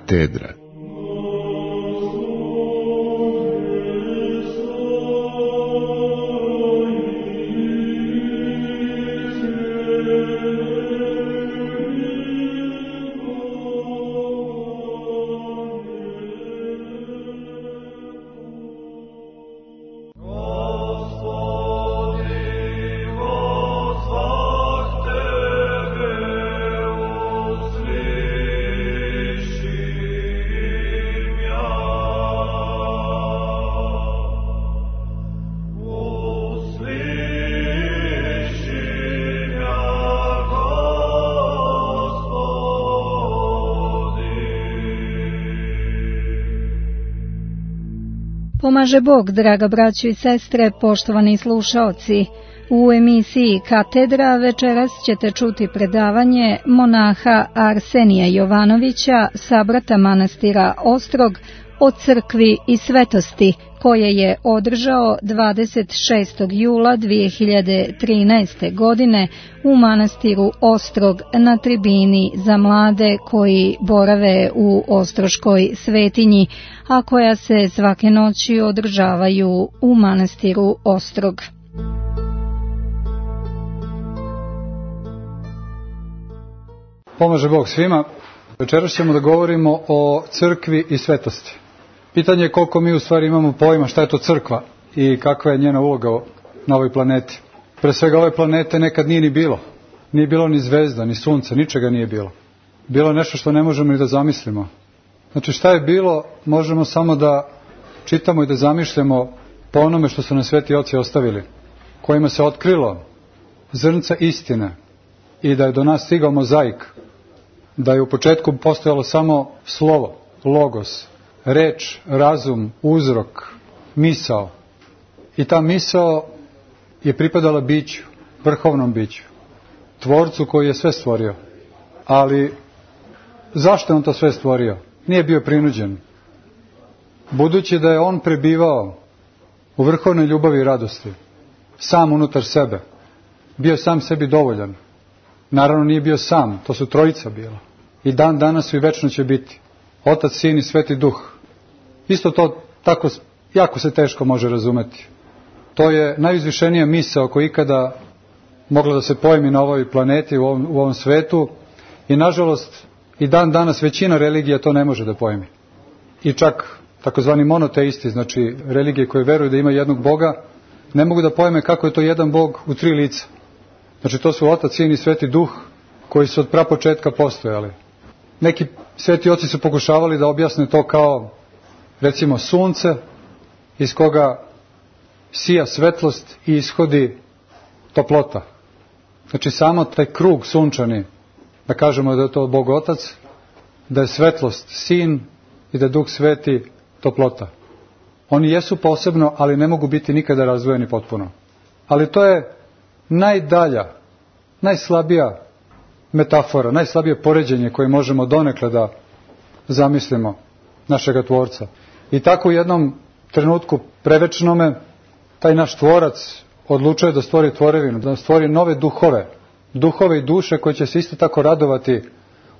Katedra. Pomaže Bog, draga braćo i sestre, poštovani slušaoci. U emisiji Katedra večeras ćete čuti predavanje monaha Arsenija Jovanovića, sabrata manastira Ostrog, o crkvi i svetosti, koje je održao 26. jula 2013. godine u manastiru Ostrog na tribini za mlade koji borave u Ostroškoj svetinji, a koja se svake noći održavaju u manastiru Ostrog. Pomaže Bog svima. Večeras ćemo da govorimo o crkvi i svetosti. Pitanje je koliko mi u stvari imamo pojma šta je to crkva i kakva je njena uloga na ovoj planeti. Pre svega ove planete nekad nije ni bilo. Nije bilo ni zvezda, ni sunca, ničega nije bilo. Bilo nešto što ne možemo ni da zamislimo. Znači šta je bilo, možemo samo da čitamo i da zamišljamo po onome što su nam sveti oci ostavili, kojima se otkrilo zrnca istine i da je do nas stigao mozaik, da je u početku postojalo samo slovo, logos, reč, razum, uzrok, misao. I ta misao je pripadala biću, vrhovnom biću, tvorcu koji je sve stvorio. Ali zašto je on to sve stvorio? Nije bio prinuđen. Budući da je on prebivao u vrhovnoj ljubavi i radosti, sam unutar sebe, bio sam sebi dovoljan. Naravno nije bio sam, to su trojica bila. I dan danas i večno će biti. Otac, Sin i Sveti Duh. Isto to tako jako se teško može razumeti. To je najuzvišenija misao koja ikada mogla da se pojmi na ovoj planeti, u ovom svetu. I nažalost i dan danas većina religija to ne može da pojmi. I čak takozvani monoteisti, znači religije koje veruju da ima jednog Boga, ne mogu da pojme kako je to jedan Bog u tri lica. Znači to su Otac, Sin i Sveti Duh koji su od prapočetka postojali. Neki sveti oci su pokušavali da objasne to kao, recimo, sunce iz koga sija svetlost i ishodi toplota. Znači samo taj krug sunčani, da kažemo da je to Bog Otac, da je svetlost Sin i da je Duh Sveti toplota. Oni jesu posebno, ali ne mogu biti nikada razdvojeni potpuno. Ali to je najdalja, najslabija metafora, najslabije poređenje koje možemo donekle da zamislimo našega Tvorca. I tako u jednom trenutku prevečnome taj naš Tvorac odlučuje da stvori tvorevinu, da stvori nove duhove i duše koje će se isto tako radovati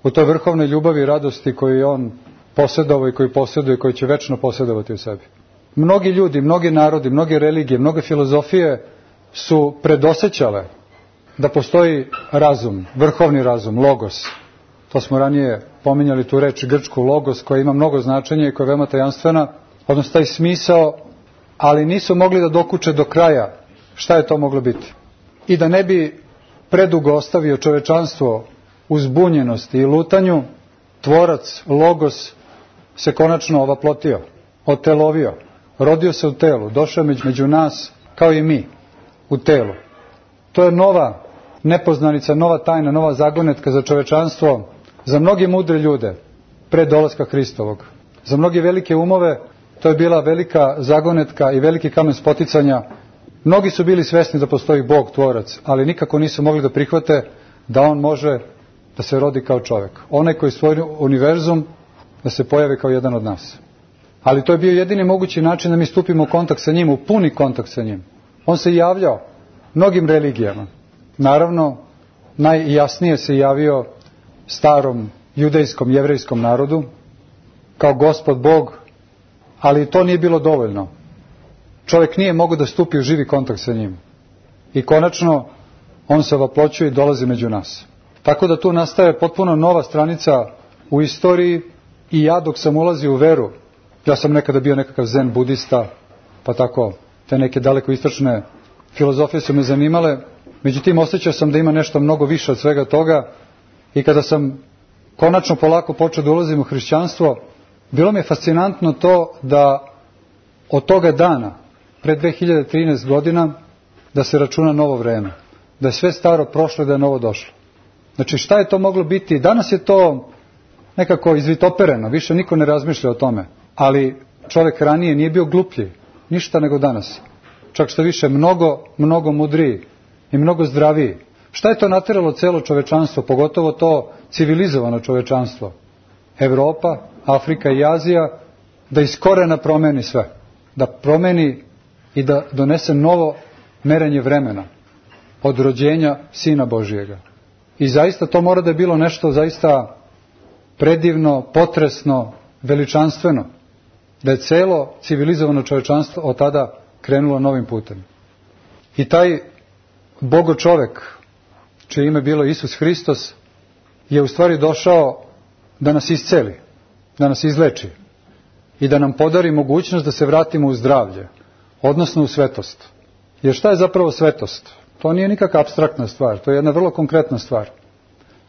u toj vrhovnoj ljubavi i radosti koju je on posjedovao i koju posjeduje i koju će večno posjedovati u sebi. Mnogi ljudi, mnogi narodi, mnoge religije, mnoge filozofije su predosećale da postoji razum, vrhovni razum, logos. To smo ranije pominjali tu reč grčku logos koja ima mnogo značenja i koja je veoma tajanstvena, odnosno taj smisao, ali nisu mogli da dokuče do kraja šta je to moglo biti. I da ne bi predugo ostavio čovečanstvo u zbunjenosti i lutanju, Tvorac, logos, se konačno ovaplotio, otelovio, rodio se u telu, došao među nas kao i mi u telu. To je nova nepoznanica, nova tajna, nova zagonetka za čovečanstvo, za mnoge mudre ljude pre dolaska Hristovog. Za mnoge velike umove to je bila velika zagonetka i veliki kamen spoticanja. Mnogi su bili svesni da postoji Bog, Tvorac, ali nikako nisu mogli da prihvate da on može da se rodi kao čovjek. Onaj koji stvori univerzum da se pojavi kao jedan od nas. Ali to je bio jedini mogući način da mi stupimo u kontakt sa njim, u puni kontakt sa njim. On se javljao mnogim religijama. Naravno, najjasnije se javio starom judejskom, jevrejskom narodu, kao Gospod Bog, ali to nije bilo dovoljno. Čovjek nije mogao da stupi u živi kontakt sa njim. I konačno, on se ovaploćuje i dolazi među nas. Tako da tu nastaje potpuno nova stranica u istoriji i ja dok sam ulazio u veru, ja sam nekada bio nekakav zen budista, pa tako, te neke daleko istočne filozofije su me zanimale, međutim osjećao sam da ima nešto mnogo više od svega toga i kada sam konačno polako počeo da ulazim u hrišćanstvo, bilo mi je fascinantno to da od toga dana, pred 2013 godina, da se računa novo vreme, da je sve staro prošlo i da je novo došlo. Znači šta je to moglo biti? Danas je to nekako izvitopereno, više niko ne razmišlja o tome, ali čovjek ranije nije bio gluplji, ništa nego danas. Čak što više, mnogo mudriji i mnogo zdraviji. Šta je to natjeralo celo čovečanstvo, pogotovo to civilizovano čovečanstvo? Evropa, Afrika i Azija, da iz korena promeni sve. Da promeni i da donese novo merenje vremena od rođenja Sina Božijega. I zaista to mora da je bilo nešto zaista predivno, potresno, veličanstveno. Da je celo civilizovano čovečanstvo od tada krenulo novim putem. I taj Bogo čovek, čije ime bilo Isus Hristos, je u stvari došao da nas isceli, da nas izleči i da nam podari mogućnost da se vratimo u zdravlje, odnosno u svetost. Jer šta je zapravo svetost? To nije nikakva apstraktna stvar, to je jedna vrlo konkretna stvar.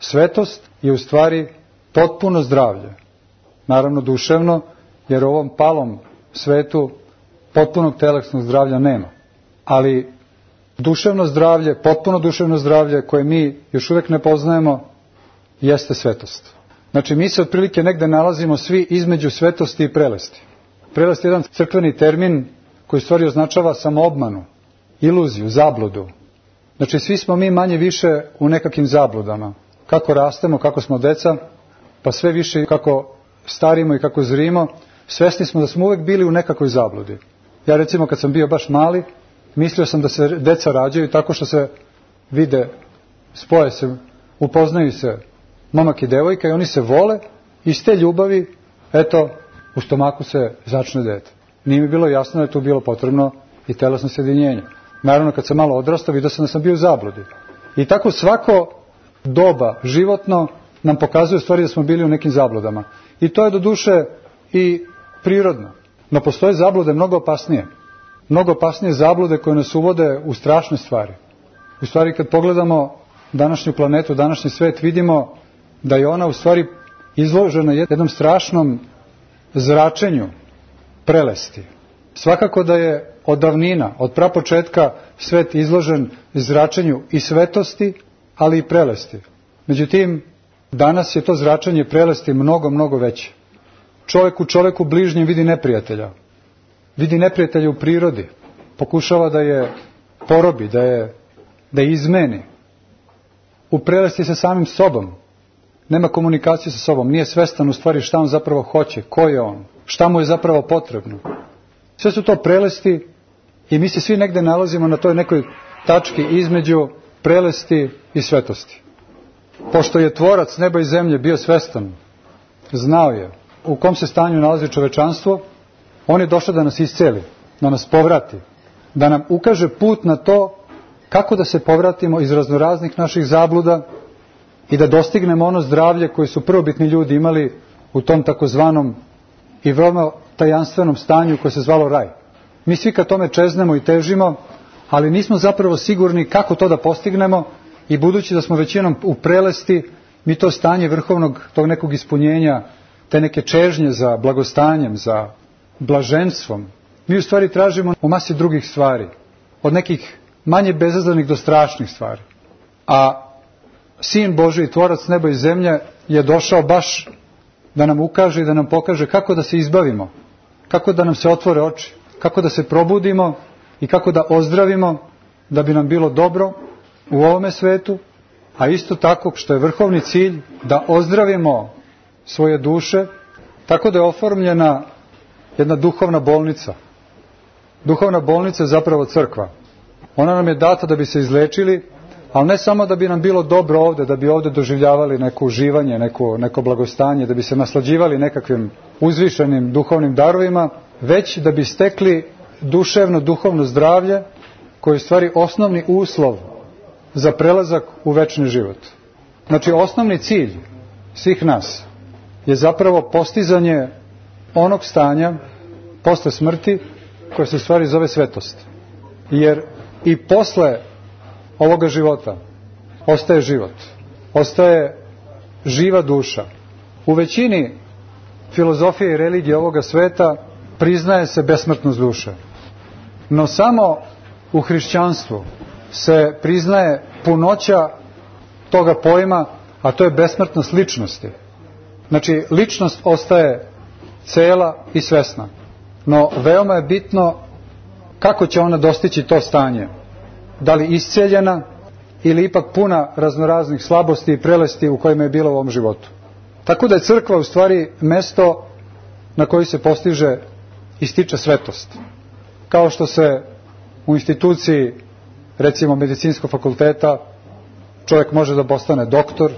Svetost je u stvari potpuno zdravlje, naravno duševno, jer u ovom palom svetu potpunog telesnog zdravlja nema. Ali duševno zdravlje, potpuno duševno zdravlje koje mi još uvijek ne poznajemo, jeste svetost. Znači mi se otprilike negde nalazimo svi između svetosti i prelesti. Prelest je jedan crkveni termin koji u stvari označava samoobmanu, iluziju, zabludu. Znači svi smo mi manje više u nekakvim zabludama. Kako rastemo, kako smo deca, pa sve više kako starimo i kako zrimo, svesni smo da smo uvijek bili u nekakvoj zabludi. Ja recimo kad sam bio baš mali, mislio sam da se deca rađaju tako što se vide, spoje se, upoznaju se momak i devojka i oni se vole i iz te ljubavi, eto, u stomaku se začne dete. Nije mi bilo jasno da je tu bilo potrebno i telesno sjedinjenje. Naravno kad sam malo odrastao, vidio sam da sam bio u zabludi. I tako svako doba životno nam pokazuje u stvari da smo bili u nekim zabludama. I to je do duše i prirodno. No postoje zablude mnogo opasnije. Mnogo opasnije zablude koje nas uvode u strašne stvari. U stvari kad pogledamo današnju planetu, današnji svet, vidimo da je ona u stvari izložena jednom strašnom zračenju prelesti. Svakako da je od davnina, od prapočetka svet izložen zračenju i svetosti, ali i prelesti. Međutim, danas je to zračenje prelesti mnogo veće. Čovjek u čovjeku bližnjem vidi neprijatelja. Vidi neprijatelja u prirodi. Pokušava da je porobi, da je izmeni. U prelesti sa samim sobom. Nema komunikacije sa sobom. Nije svestan u stvari šta on zapravo hoće, ko je on, šta mu je zapravo potrebno. Sve su to prelesti i mi se svi negde nalazimo na toj nekoj tački između prelesti i svetosti. Pošto je tvorac neba i zemlje bio svestan, znao je u kom se stanju nalazi čovečanstvo, on je došao da nas isceli, da nas povrati, da nam ukaže put na to kako da se povratimo iz raznoraznih naših zabluda i da dostignemo ono zdravlje koje su prvobitni ljudi imali u tom takozvanom i veoma tajanstvenom stanju koje se zvalo raj. Mi svi ka tome čeznemo i težimo, ali nismo zapravo sigurni kako to da postignemo i budući da smo većinom u prelesti, mi to stanje vrhovnog tog nekog ispunjenja, te neke čežnje za blagostanjem, za blaženstvom, mi u stvari tražimo u masi drugih stvari, od nekih manje bezazlenih do strašnih stvari. A Sin Božji, tvorac neba i zemlje, je došao baš da nam ukaže i da nam pokaže kako da se izbavimo, kako da nam se otvore oči, kako da se probudimo i kako da ozdravimo, da bi nam bilo dobro u ovome svetu, a isto tako što je vrhovni cilj da ozdravimo svoje duše, tako da je oformljena jedna duhovna bolnica. Duhovna bolnica je zapravo crkva. Ona nam je data da bi se izlečili, ali ne samo da bi nam bilo dobro ovdje, da bi ovdje doživljavali neko uživanje, neko blagostanje, da bi se naslađivali nekakvim uzvišenim duhovnim darovima, već da bi stekli duševno, duhovno zdravlje, koje je u stvari osnovni uslov za prelazak u večni život. Znači, osnovni cilj svih nas je zapravo postizanje onog stanja posle smrti koje se u stvari zove svetost. Jer i posle ovoga života ostaje život, ostaje živa duša. U većini filozofije i religije ovoga sveta priznaje se besmrtnost duše. No samo u hrišćanstvu se priznaje punoća toga pojma, a to je besmrtnost ličnosti. Znači, ličnost ostaje cela i svesna. No, veoma je bitno kako će ona dostići to stanje. Da li isceljena ili ipak puna raznoraznih slabosti i prelesti u kojima je bila u ovom životu. Tako da je crkva u stvari mesto na koji se postiže i stiče svetost. Kao što se u instituciji, recimo medicinskog fakulteta, čovjek može da postane doktor,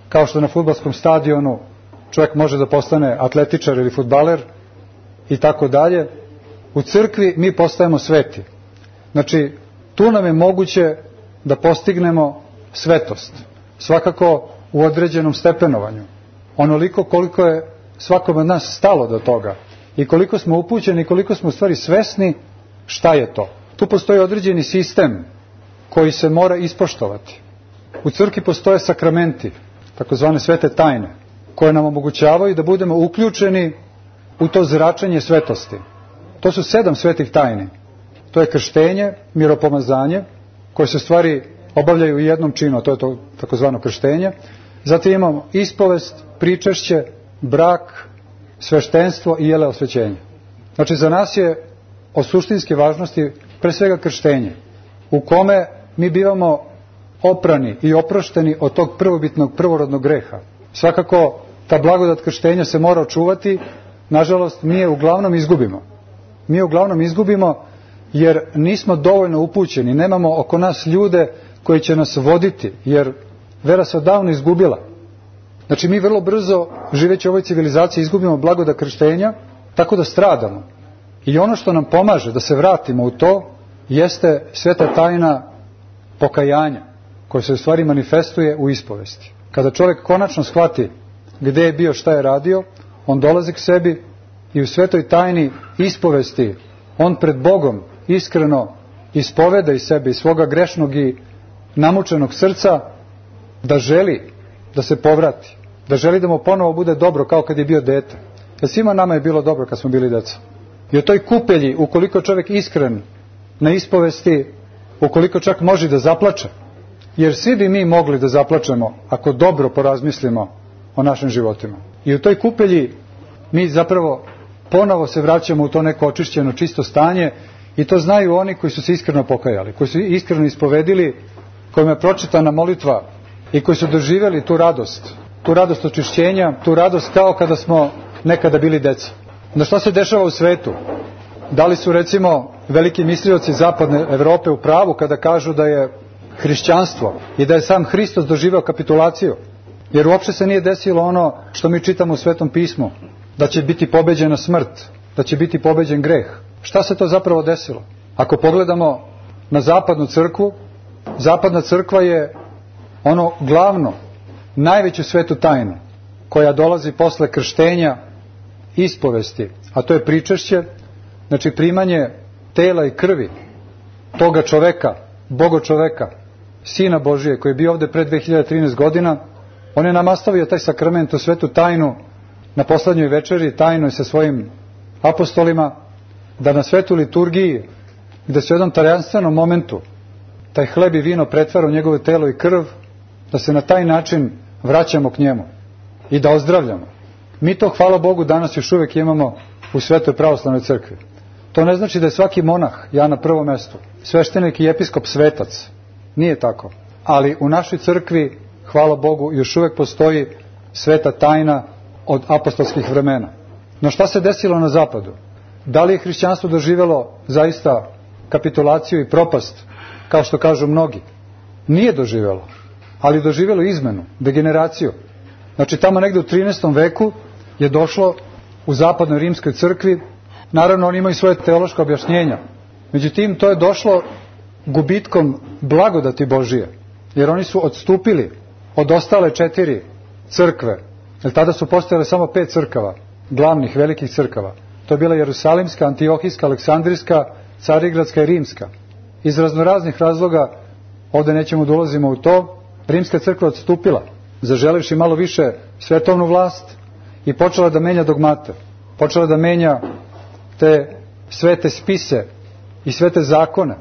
kao što na fudbalskom stadionu čovjek može da postane atletičar ili fudbaler i tako dalje, u crkvi mi postajemo sveti. Znači, tu nam je moguće da postignemo svetost, svakako u određenom stepenovanju, onoliko koliko je svakom od nas stalo do toga i koliko smo upućeni i koliko smo u stvari svesni šta je to. Tu postoji određeni sistem koji se mora ispoštovati. U crkvi postoje sakramenti, takozvane svete tajne, koje nam omogućavaju da budemo uključeni u to zračenje svetosti. To su 7 svetih tajni. To je krštenje, miropomazanje, koje se stvari obavljaju u jednom činu, a to je to takozvano krštenje. Zatim imamo ispovest, pričešće, brak, sveštenstvo i jele osvećenje. Znači, za nas je od suštinske važnosti pre svega krštenje, u kome mi bivamo oprani i oprošteni od tog prvobitnog, prvorodnog greha. Svakako, ta blagodat krštenja se mora očuvati, nažalost, mi je uglavnom izgubimo. Mi je uglavnom izgubimo jer nismo dovoljno upućeni, nemamo oko nas ljude koji će nas voditi, jer vera se odavno izgubila. Znači, mi vrlo brzo, živeći u ovoj civilizaciji, izgubimo blagodat krštenja, tako da stradamo. I ono što nam pomaže da se vratimo u to, jeste sveta tajna pokajanja, koja se u stvari manifestuje u ispovesti. Kada čovjek konačno shvati gde je bio, šta je radio, on dolazi k sebi i u svetoj tajni ispovesti on pred Bogom iskreno ispoveda iz sebe, iz svoga grešnog i namučenog srca, da želi da se povrati, da želi da mu ponovo bude dobro kao kad je bio dete. Jer svima nama je bilo dobro kad smo bili deca. I u toj kupelji, ukoliko čovjek iskren na ispovesti, ukoliko čak može da zaplače, jer svi bi mi mogli da zaplačemo ako dobro porazmislimo o našim životima. I u toj kupelji mi zapravo ponovo se vraćamo u to neko očišćeno, čisto stanje, i to znaju oni koji su se iskreno pokajali, koji su iskreno ispovedili, kojima je pročitana molitva i koji su doživjeli tu radost očišćenja, tu radost kao kada smo nekada bili deca. No šta se dešava u svetu? Da li su, recimo, veliki mislioci zapadne Evrope u pravu kada kažu da je hrišćanstvo i da je sam Hristos doživeo kapitulaciju? Jer uopšte se nije desilo ono što mi čitamo u Svetom pismu, da će biti pobeđena smrt, da će biti pobeđen greh. Šta se to zapravo desilo? Ako pogledamo na zapadnu crkvu, zapadna crkva je ono glavno, najveću svetu tajnu, koja dolazi posle krštenja, ispovesti, a to je pričešće, znači primanje tela i krvi toga čoveka, Boga čoveka, Sina Božije, koji je bio ovde pre 2013 godina. On je nam ostavio taj sakrament, tu svetu tajnu, na poslednjoj večeri, tajnoj sa svojim apostolima, da na svetu liturgiji, da se u jednom tajanstvenom momentu taj hleb i vino pretvara u njegovo telo i krv, da se na taj način vraćamo k njemu i da ozdravljamo. Mi to, hvala Bogu, danas još uvijek imamo u Svetoj pravoslavnoj crkvi. To ne znači da je svaki monah, ja na prvom mestu, sveštenik i episkop svetac. Nije tako. Ali u našoj crkvi, hvala Bogu, još uvijek postoji sveta tajna od apostolskih vremena. No šta se desilo na zapadu? Da li je hrišćanstvo doživjelo zaista kapitulaciju i propast, kao što kažu mnogi? Nije doživjelo, ali doživjelo izmenu, degeneraciju. Znači, tamo negde u 13. veku je došlo u zapadnoj rimskoj crkvi. Naravno, oni imaju svoje teološko objašnjenja. Međutim, to je došlo gubitkom blagodati Božije, jer oni su odstupili od ostale 4 crkve, jer tada su postojale samo 5 crkava, glavnih, velikih crkava. To je bila Jerusalimska, Antiohijska, Aleksandrijska, Carigradska i Rimska. Iz raznoraznih razloga, ovdje nećemo da ulazimo u to, Rimska crkva odstupila, zaželivši malo više svetovnu vlast i počela da menja dogmate, počela da menja te svete spise i svete zakone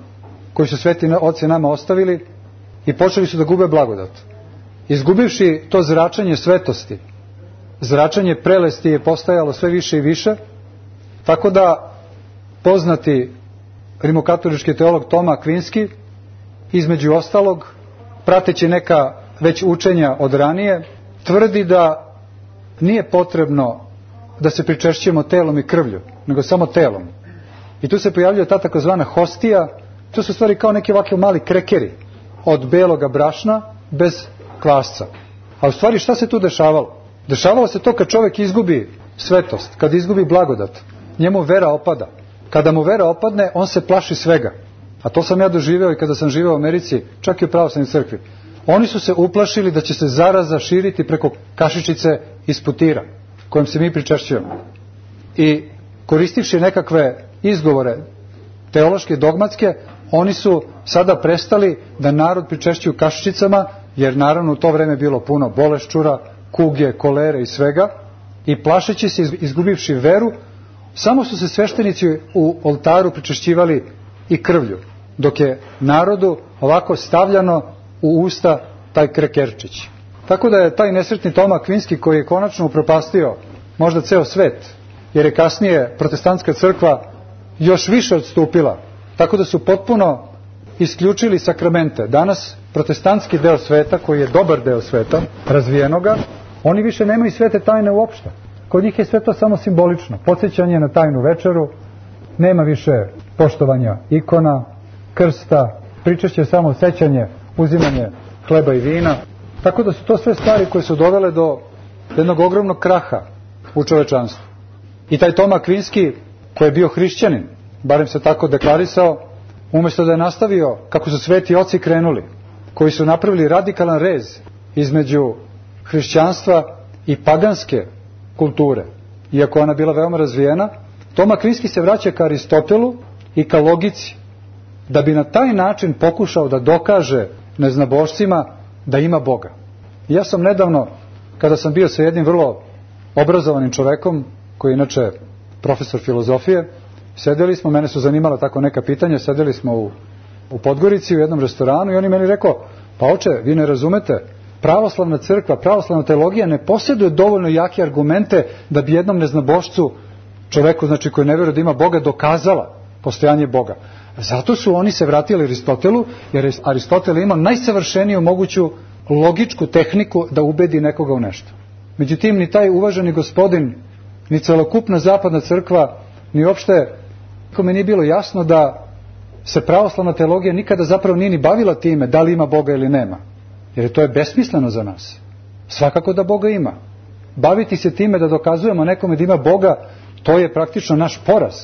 koji su sveti oci nama ostavili i počeli su da gube blagodat. Izgubivši to zračenje svetosti, zračenje prelesti je postajalo sve više i više, tako da poznati rimokatolički teolog Toma Akvinski, između ostalog, prateći neka već učenja od ranije, tvrdi da nije potrebno da se pričešćujemo telom i krvlju, nego samo telom. I tu se pojavljuje ta takozvana hostija, to su stvari kao neki ovakvi mali krekeri od beloga brašna bez kvasca. A u stvari šta se tu dešavalo? Dešavalo se to kad čovjek izgubi svetost, kad izgubi blagodat, njemu vera opada. Kada mu vera opadne, on se plaši svega. A to sam ja doživeo i kada sam živeo u Americi, čak i u pravoslavnoj crkvi. Oni su se uplašili da će se zaraza širiti preko kašičice iz putira, kojom se mi pričešćujemo. I koristivši nekakve izgovore teološke, dogmatske, oni su sada prestali da narod pričešćuju kašičicama, jer naravno u to vreme bilo puno boleščura, kuge, kolere i svega, i plašeći se, izgubivši veru, samo su se sveštenici u oltaru pričešćivali i krvlju, dok je narodu ovako stavljano u usta taj krekerčić. Tako da je taj nesretni Toma Akvinski, koji je konačno upropastio možda ceo svet, jer je kasnije protestantska crkva još više odstupila, tako da su potpuno isključili sakramente. Danas protestantski deo sveta, koji je dobar deo sveta, razvijenoga, oni više nemaju svete tajne uopšte. Kod njih je sve to samo simbolično. Podsjećanje na tajnu večeru, nema više poštovanja ikona, krsta, pričešće samo sećanje, uzimanje hleba i vina. Tako da su to sve stvari koje su dovele do jednog ogromnog kraha u čovečanstvu. I taj Toma Akvinski, koji je bio hrišćanin, barem se tako deklarisao, umjesto da je nastavio kako su sveti oci krenuli, koji su napravili radikalan rez između hrišćanstva i paganske kulture, iako ona bila veoma razvijena, Toma Akvinski se vraća ka Aristotelu i ka logici, da bi na taj način pokušao da dokaže neznabošcima da ima Boga. I ja sam nedavno, kada sam bio sa jednim vrlo obrazovanim čovekom, koji je inače profesor filozofije, sedeli smo, mene su zanimala tako neka pitanja, sedeli smo u Podgorici u jednom restoranu i on je meni rekao, pa oče, vi ne razumete, pravoslavna crkva, pravoslavna teologija ne posjeduje dovoljno jake argumente da bi jednom neznabošcu, čoveku znači koji ne vjeruje da ima Boga, dokazala postojanje Boga. Zato su oni se vratili Aristotelu, jer Aristotel ima najsavršeniju moguću logičku tehniku da ubedi nekoga u nešto. Međutim, ni taj uvaženi gospodin, ni celokupna zapadna crkva, ni uopšte, kome nije bilo jasno da se pravoslavna teologija nikada zapravo nije ni bavila time da li ima Boga ili nema. Jer to je besmisleno za nas. Svakako da Boga ima. Baviti se time da dokazujemo nekome da ima Boga, to je praktično naš poraz.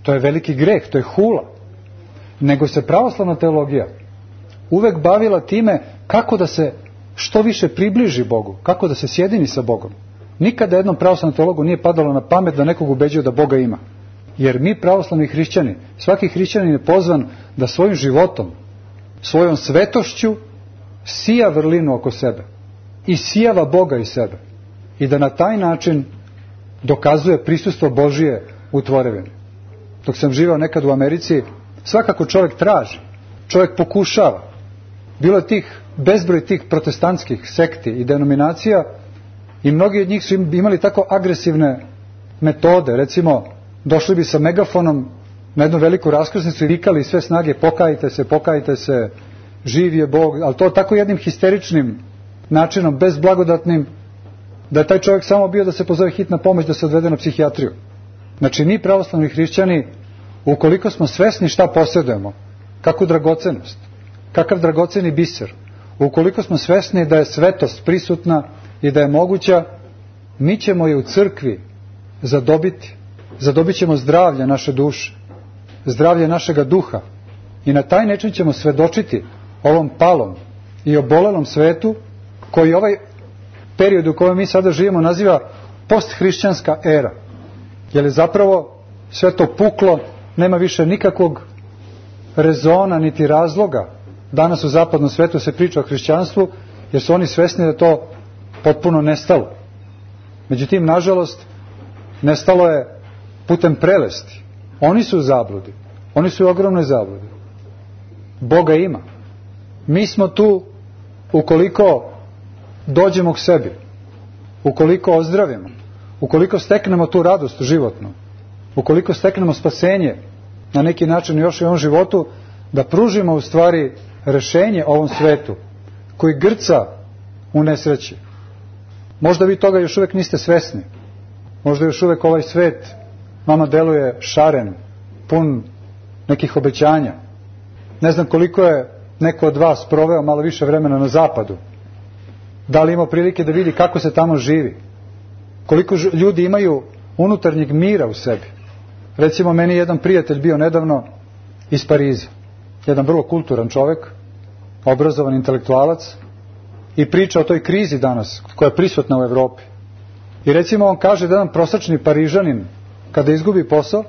To je veliki greh, to je hula. Nego se pravoslavna teologija uvek bavila time kako da se što više približi Bogu, kako da se sjedini sa Bogom. Nikada jednom pravoslavnom teologu nije padalo na pamet da nekog ubeđuje da Boga ima. Jer mi pravoslavni hrišćani, svaki hrišćanin je pozvan da svojim životom, svojom svetošću sija vrlinu oko sebe i sijava Boga iz sebe i da na taj način dokazuje prisustvo Božije u tvorevini. Dok sam živao nekad u Americi, svakako čovjek traži, čovjek pokušava. Bilo je bezbroj tih protestantskih sekti i denominacija i mnogi od njih su imali tako agresivne metode. Recimo, došli bi sa megafonom na jednu veliku raskrsnicu i vikali sve snage pokajte se, živ je Bog, ali to tako jednim histeričnim načinom, bezblagodatnim, da je taj čovjek samo bio da se pozove hitna pomoć, da se odvede na psihijatriju. Znači, mi pravoslavni hrišćani, ukoliko smo svesni šta posjedujemo, kakvu dragocenost, kakav dragoceni biser, ukoliko smo svesni da je svetost prisutna i da je moguća, mi ćemo je u crkvi zadobiti. Zadobit ćemo zdravlje naše duše, zdravlje našega duha i na taj način ćemo svedočiti ovom palom i obolelom svetu koji ovaj period u kojem mi sada živimo naziva posthrišćanska era. Jer je zapravo sve to puklo, nema više nikakvog rezona niti razloga. Danas u zapadnom svetu se priča o hrišćanstvu jer su oni svesni da je to potpuno nestalo. Međutim, nažalost, nestalo je putem prelesti. Oni su u zabludi. Oni su u ogromnoj zabludi. Boga ima. Mi smo tu ukoliko dođemo k sebi, ukoliko ozdravimo, ukoliko steknemo tu radost životnu, ukoliko steknemo spasenje na neki način još i u ovom životu, da pružimo u stvari rešenje ovom svetu koji grca u nesreći. Možda vi toga još uvijek niste svesni. Možda još uvijek ovaj svet vama deluje šaren, pun nekih obećanja. Ne znam koliko je neko od vas proveo malo više vremena na zapadu. Da li ima prilike da vidi kako se tamo živi? Koliko ljudi imaju unutarnjeg mira u sebi? Recimo, meni je jedan prijatelj bio nedavno iz Pariza. Jedan vrlo kulturan čovjek, obrazovan intelektualac i priča o toj krizi danas koja je prisutna u Evropi. I recimo on kaže da jedan prosječni Parižanin kada izgubi posao,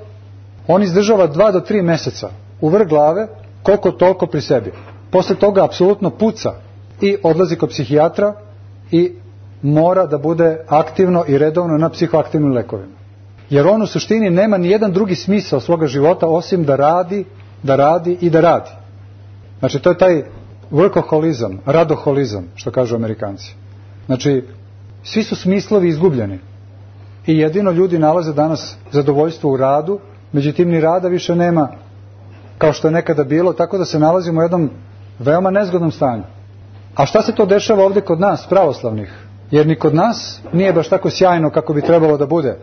on izdržava 2 do 3 mjeseca u vrh glave, koliko toliko pri sebi. Posle toga apsolutno puca i odlazi kod psihijatra i mora da bude aktivno i redovno na psihoaktivnim lekovima. Jer on u suštini nema ni jedan drugi smisao svoga života osim da radi, da radi i da radi. Znači to je taj workoholizam, radoholizam, što kažu Amerikanci. Znači svi su smislovi izgubljeni i jedino ljudi nalaze danas zadovoljstvo u radu, međutim ni rada više nema kao što je nekada bilo, tako da se nalazimo u jednom veoma nezgodnom stanju. A šta se to dešava ovdje kod nas, pravoslavnih? Jer ni kod nas nije baš tako sjajno kako bi trebalo da bude.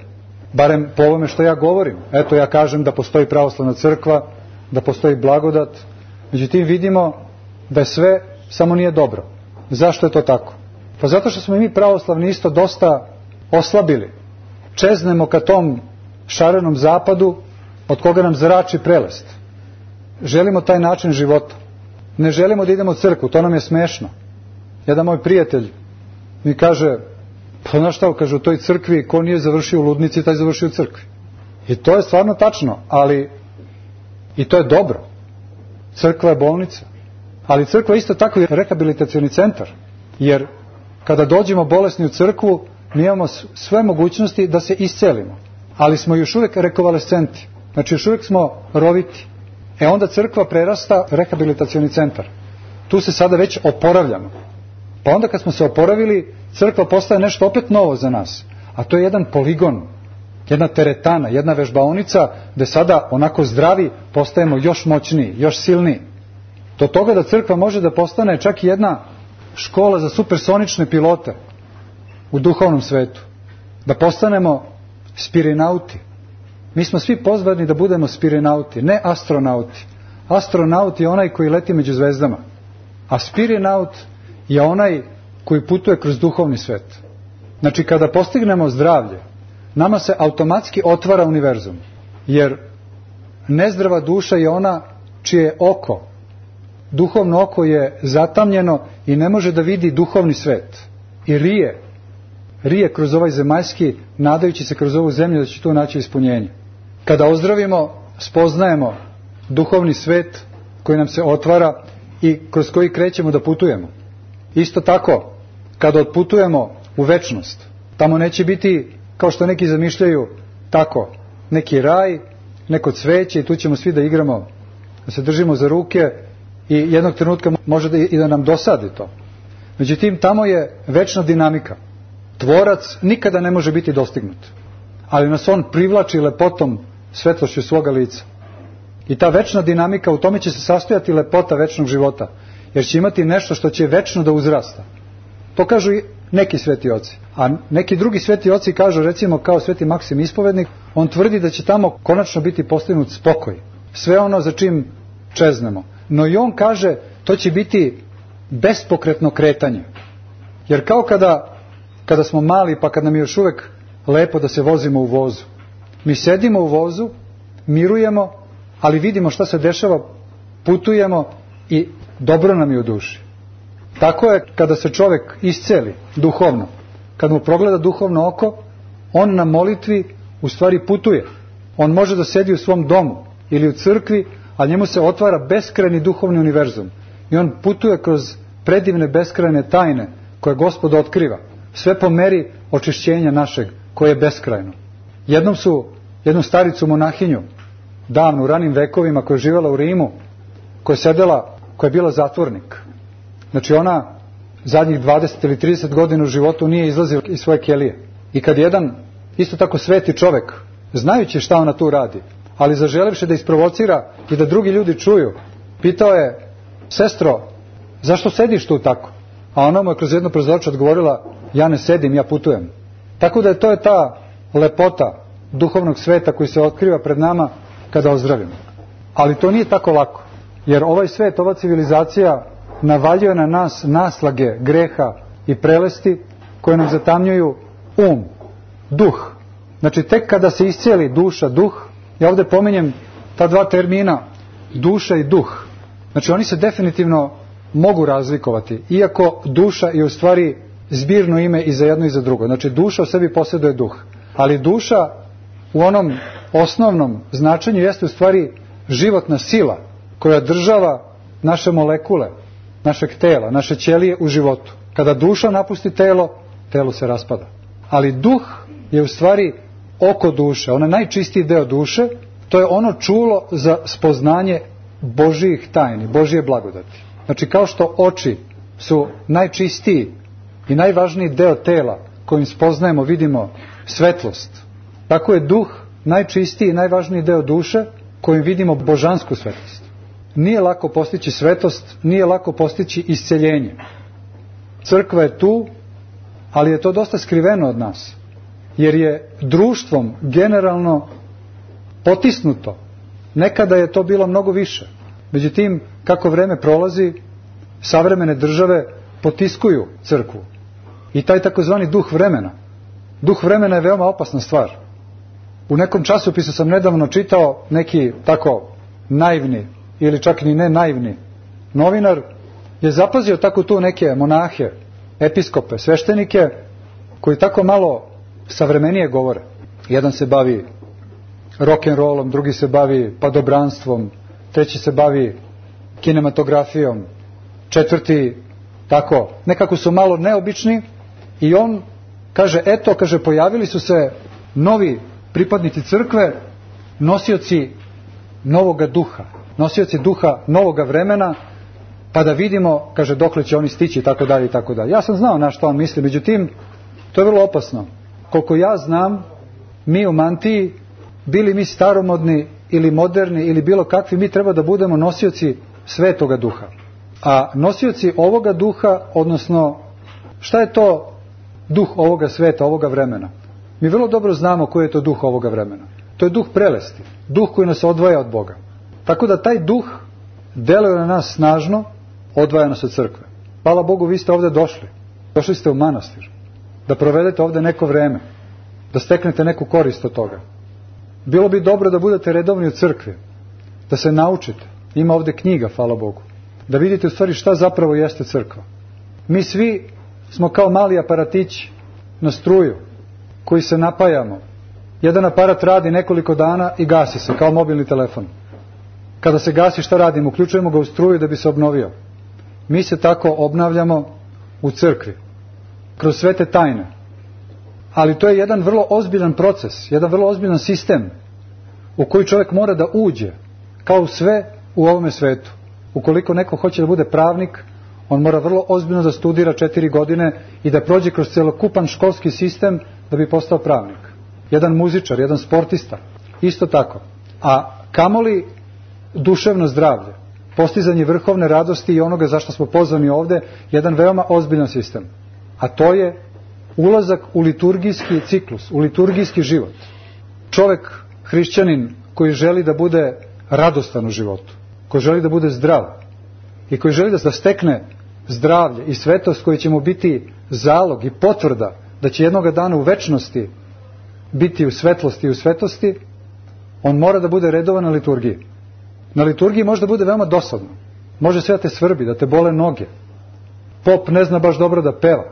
Barem po ovome što ja govorim. Eto, ja kažem da postoji pravoslavna crkva, da postoji blagodat. Međutim, vidimo da je sve, samo nije dobro. Zašto je to tako? Pa zato što smo mi pravoslavni isto dosta oslabili. Čeznemo ka tom šarenom zapadu od koga nam zrači prelest. Želimo taj način života. Ne želimo da idemo u crkvu, to nam je smešno. Jedan moj prijatelj mi kaže, pa znaš šta, kaže, u toj crkvi ko nije završio u ludnici, taj završio u crkvi. I to je stvarno tačno, ali i to je dobro. Crkva je bolnica. Ali crkva je isto tako i rehabilitacioni centar. Jer kada dođemo bolesni u crkvu, mi imamo sve mogućnosti da se iscelimo. Ali smo još uvijek rekonvalescenti. Znači još uvijek smo roviti. Onda crkva prerasta rehabilitacioni centar. Tu se sada već oporavljamo. Pa onda kad smo se oporavili, crkva postaje nešto opet novo za nas. A to je jedan poligon, jedna teretana, jedna vežbaonica gdje sada onako zdravi postajemo još moćniji, još silniji. Do toga da crkva može da postane čak i jedna škola za supersonične pilote u duhovnom svetu. Da postanemo spirinauti. Mi smo svi pozvani da budemo spirinauti, ne astronauti. Astronaut je onaj koji leti među zvezdama, a spirinaut je onaj koji putuje kroz duhovni svet. Znači kada postignemo zdravlje, nama se automatski otvara univerzum, jer nezdrava duša je ona čije oko, duhovno oko je zatamnjeno i ne može da vidi duhovni svet. I rije kroz ovaj zemaljski, nadajući se kroz ovu zemlju da će tu naći ispunjenje. Kada ozdravimo, spoznajemo duhovni svet koji nam se otvara i kroz koji krećemo da putujemo. Isto tako, kada otputujemo u večnost, tamo neće biti, kao što neki zamišljaju, tako, neki raj, neko cveće i tu ćemo svi da igramo, da se držimo za ruke i jednog trenutka može i da nam dosadi to. Međutim, tamo je večna dinamika. Tvorac nikada ne može biti dostignut, ali nas on privlači lepotom, svetlošću svoga lica. I ta večna dinamika, u tome će se sastojati lepota večnog života, jer će imati nešto što će večno da uzrasta. To kažu i neki sveti oci. A neki drugi sveti oci kažu, recimo kao sveti Maksim Ispovednik, on tvrdi da će tamo konačno biti postignut spokoj. Sve ono za čim čeznemo. No i on kaže, to će biti bespokretno kretanje. Jer kao kada smo mali, pa kad nam je još uvijek lepo da se vozimo u vozu. Mi sedimo u vozu, mirujemo, ali vidimo šta se dešava, putujemo i dobro nam je u duši. Tako je kada se čovjek isceli duhovno, kad mu progleda duhovno oko, on na molitvi u stvari putuje. On može da sedi u svom domu ili u crkvi, a njemu se otvara beskrajni duhovni univerzum. I on putuje kroz predivne beskrajne tajne koje Gospod otkriva. Sve po meri očišćenja našeg, koje je beskrajno. Jednu staricu monahinju, davno u ranim vekovima, koja je živjela u Rimu, koja je bila zatvornik. Znači ona zadnjih 20 ili 30 godina u životu nije izlazila iz svoje kelije. I kad jedan isto tako sveti čovjek, znajući šta ona tu radi, ali zaželivši da isprovocira i da drugi ljudi čuju, pitao je: sestro, zašto sediš tu tako? A ona mu je kroz jedno prozorče odgovorila: ja ne sedim, ja putujem. Tako da to je ta lepota duhovnog sveta koji se otkriva pred nama kada ozdravimo. Ali to nije tako lako, jer ovaj svet, ova civilizacija navaljuje na nas naslage greha i prelesti koje nam zatamnjuju duh. Znači tek kada se iscijeli duša, duh, ja ovdje pominjem ta dva termina, duša i duh. Znači oni se definitivno mogu razlikovati, iako duša je u stvari zbirno ime i za jedno i za drugo. Znači duša u sebi posjeduje duh, ali duša u onom osnovnom značenju jeste u stvari životna sila koja država naše molekule, našeg tela, naše ćelije u životu. Kada duša napusti telo, telo se raspada. Ali duh je u stvari oko duše, onaj najčistiji deo duše, to je ono čulo za spoznanje Božjih tajni, Božje blagodati. Znači kao što oči su najčistiji i najvažniji deo tela kojim spoznajemo, vidimo svetlost, tako je duh najčistiji i najvažniji deo duše kojim vidimo božansku svetlost. Nije lako postići svetost, nije lako postići isceljenje. Crkva je tu, ali je to dosta skriveno od nas, jer je društvom generalno potisnuto. Nekada je to bilo mnogo više. Međutim, kako vreme prolazi, savremene države potiskuju crkvu. I taj takozvani duh vremena je veoma opasna stvar. U nekom časopisu sam nedavno čitao neki tako naivni ili čak ni ne naivni novinar je zapazio tako tu neke monahe, episkope, sveštenike koji tako malo savremenije govore. Jedan se bavi rock'n'rollom, drugi se bavi padobranstvom, treći se bavi kinematografijom, četvrti tako, nekako su malo neobični i on kaže, pojavili su se novi pripadnici crkve, nosioci novoga duha, nosioci duha novoga vremena, pa da vidimo, kaže, dokle će oni stići, tako dalje i tako dalje. Ja sam znao na što on misli, međutim, to je vrlo opasno. Koliko ja znam, mi u mantiji, bili mi staromodni ili moderni ili bilo kakvi, mi treba da budemo nosioci svetoga duha. A nosioci ovoga duha, odnosno, šta je to duh ovoga sveta, ovoga vremena? Mi vrlo dobro znamo koji je to duh ovoga vremena. To je duh prelesti, duh koji nas odvaja od Boga. Tako da taj duh deluje na nas snažno, odvaja nas od crkve. Hvala Bogu, vi ste ovdje došli. Došli ste u manastir. Da provedete ovdje neko vreme. Da steknete neku korist od toga. Bilo bi dobro da budete redovni u crkvi. Da se naučite. Ima ovdje knjiga, hvala Bogu. Da vidite u stvari šta zapravo jeste crkva. Mi svi smo kao mali aparatići na struju koji se napajamo. Jedan aparat radi nekoliko dana i gasi se kao mobilni telefon. Kada se gasi, šta radimo? Uključujemo ga u struju da bi se obnovio. Mi se tako obnavljamo u crkvi. Kroz sve te tajne. Ali to je jedan vrlo ozbiljan proces, jedan vrlo ozbiljan sistem u koji čovjek mora da uđe, kao u sve u ovome svetu. Ukoliko neko hoće da bude pravnik, on mora vrlo ozbiljno da studira 4 godine i da prođe kroz celokupan školski sistem da bi postao pravnik. Jedan muzičar, jedan sportista, isto tako. A kamoli duševno zdravlje, postizanje vrhovne radosti i onoga zašto smo pozvani ovdje, jedan veoma ozbiljan sistem. A to je ulazak u liturgijski ciklus, u liturgijski život. Čovjek, hrišćanin, koji želi da bude radostan u životu, koji želi da bude zdrav i koji želi da stekne zdravlje i svetost koji će mu biti zalog i potvrda da će jednoga dana u večnosti biti u svetlosti i u svetosti, on mora da bude redovan na liturgiji. Na liturgiji može da bude veoma dosadno. Može sve da te svrbi, da te bole noge. Pop ne zna baš dobro da peva.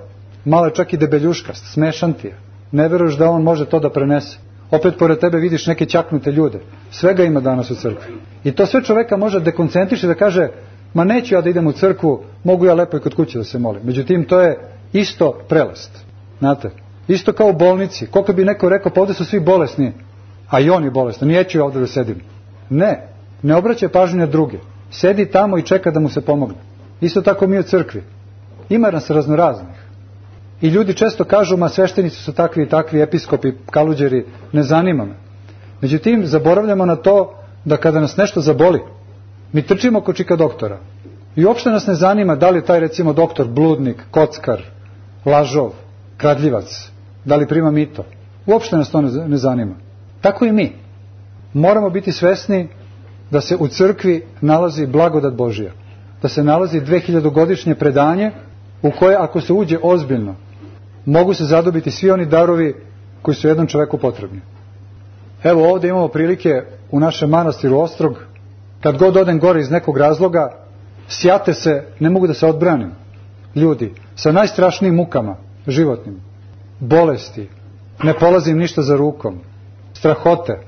Malo je čak i debeljuškast, smešan ti je. Ne veruješ da on može to da prenese. Opet pored tebe vidiš neke ćaknute ljude. Svega ima danas u crkvi. I to sve čoveka može dekoncentriši da kaže, ma neću ja da idem u crkvu, mogu ja lepo i kod kuće da se molim. Međutim, to je isto prelast. Znate, isto kao u bolnici. Koliko bi neko rekao, pa ovde su svi bolesni, a i on je bolestan, neću ja ovde da sedim. Ne obraćaj pažnju na druge. Sedi tamo i čeka da mu se pomogne. Isto tako mi u crkvi. Ima nas raznoraznih. I ljudi često kažu, ma sveštenici su takvi i takvi, episkopi, kaluđeri, ne zanima me. Međutim, zaboravljamo na to da kada nas nešto zaboli, mi trčimo kod čika doktora. I uopšte nas ne zanima da li je taj, recimo, doktor bludnik, kockar, lažov, kradljivac, da li prima mito. Uopšte nas to ne zanima. Tako i mi. Moramo biti svesni da se u crkvi nalazi blagodat Božija. Da se nalazi 2000-godišnje predanje u koje, ako se uđe ozbiljno, mogu se zadobiti svi oni darovi koji su jednom čoveku potrebni. Evo ovdje imamo prilike u našem manastiru Ostrog, kad god odem gore iz nekog razloga, sjate se, ne mogu da se odbranim. Ljudi, sa najstrašnijim mukama, životnim, bolesti, ne polazim ništa za rukom, strahote,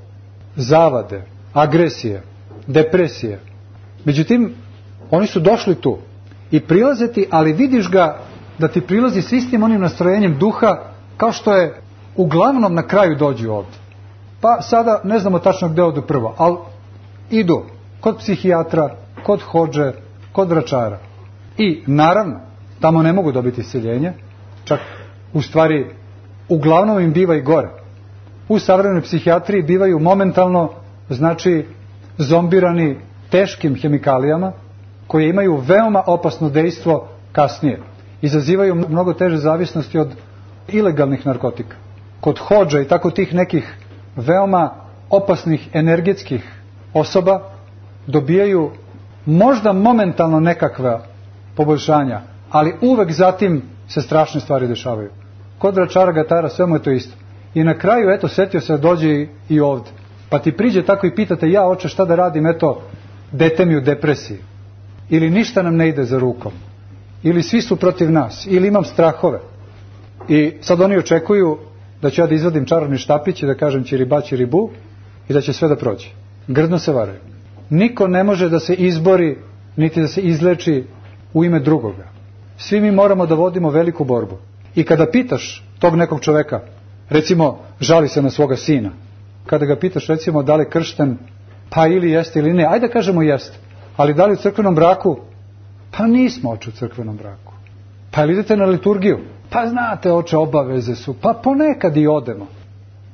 zavade, agresije, depresije. Međutim, oni su došli tu i prilaze ti, ali vidiš ga da ti prilazi s istim onim nastrojenjem duha kao što je uglavnom na kraju dođu ovdje. Pa sada ne znamo tačno gde odu prvo, ali idu kod psihijatra, kod hodže, kod vračara. I naravno, tamo ne mogu dobiti isceljenje, čak u stvari uglavnom im biva i gore. U savremenoj psihijatriji bivaju momentalno, znači, zombirani teškim hemikalijama koje imaju veoma opasno dejstvo kasnije. Izazivaju mnogo teže zavisnosti od ilegalnih narkotika. Kod hodža i tako tih nekih veoma opasnih energetskih osoba dobijaju možda momentalno nekakva poboljšanja, ali uvek zatim se strašne stvari dešavaju. Kod vračara, gatara, sve mu je to isto. I na kraju, eto, setio se da dođe i ovde. Pa ti priđe tako i pitate, ja oče šta da radim, eto, dete mi u depresiji. Ili ništa nam ne ide za rukom. Ili svi su protiv nas. Ili imam strahove. I sad oni očekuju da ću ja da izvadim čarobni štapić i da kažem čiriba, čiribu i da će sve da prođe. Grdno se varaju. Niko ne može da se izbori, niti da se izleči u ime drugoga. Svi mi moramo da vodimo veliku borbu. I kada pitaš tog nekog čoveka, recimo, žali se na svoga sina, kada ga pitaš, recimo, da li je kršten, pa ili jeste ili ne, ajde da kažemo jeste, ali da li u crkvenom braku? Pa nismo, oče, u crkvenom braku. Pa ili idete na liturgiju? Pa znate, oče, obaveze su, pa ponekad i odemo.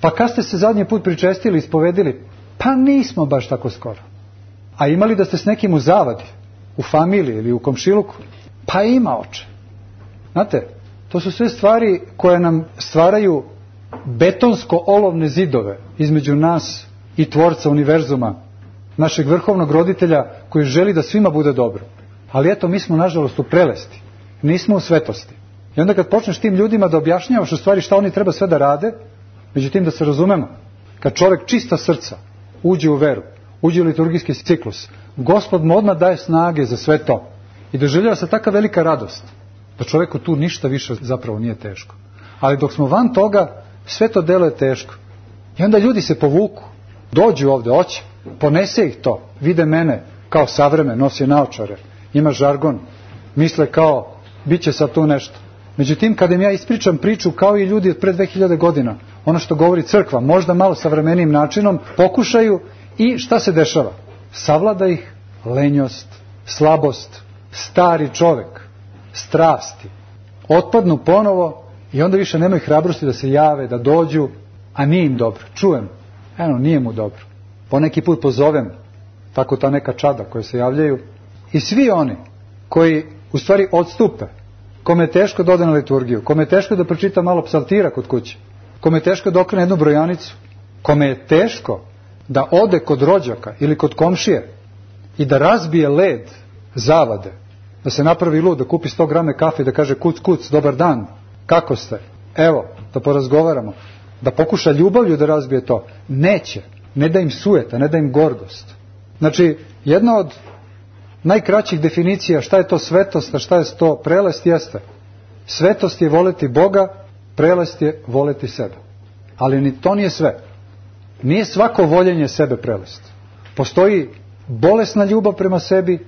Pa kad ste se zadnji put pričestili, ispovedili? Pa nismo baš tako skoro. A imali da ste s nekim u zavadi, u familiji ili u komšiluku? Pa ima, oče. Znate, to su sve stvari koje nam stvaraju betonsko-olovne zidove između nas i tvorca univerzuma, našeg vrhovnog roditelja koji želi da svima bude dobro. Ali eto, mi smo nažalost u prelesti, nismo u svetosti. I onda kad počneš tim ljudima da objašnjavaš u stvari šta oni treba sve da rade, međutim da se razumemo, kad čovjek čista srca uđe u veru, uđe u liturgijski ciklus, Gospod mu odmah daje snage za sve to. I doživljava se taka velika radost, da čovjeku tu ništa više zapravo nije teško. Ali dok smo van toga, sve to delo je teško. I onda ljudi se povuku, dođu ovde, hoće, ponese ih to, vide mene kao savremen, nosi naočare, ima žargon, misle kao, bit će sad tu nešto. Međutim, kada im ja ispričam priču kao i ljudi od pre 2000 godina, ono što govori crkva, možda malo savremenijim načinom, pokušaju i šta se dešava? Savlada ih lenjost, slabost, stari čovek, strasti. Otpadnu ponovo i onda više nemaju hrabrosti da se jave, da dođu, a nije im dobro. Čujem, eno, nije mu dobro. Poneki put pozovem, tako ta neka čada koje se javljaju, i svi oni koji u stvari odstupe, kome je teško da ode na liturgiju, kome je teško da pročita malo psaltira kod kuće, kome je teško da okrene jednu brojanicu, kome je teško da ode kod rođaka ili kod komšije i da razbije led zavade, da se napravi lud, da kupi 100 grame kafe i da kaže kuc, kuc, dobar dan, kako ste? Evo, da porazgovaramo. da pokuša ljubavlju da razbije to. Neće. Ne da im sujeta, ne da im gordost. Znači, jedna od najkraćih definicija šta je to svetost, a šta je to prelest jeste. Svetost je voleti Boga, prelest je voleti sebe. Ali ni to nije sve. Nije svako voljenje sebe prelest. Postoji bolesna ljubav prema sebi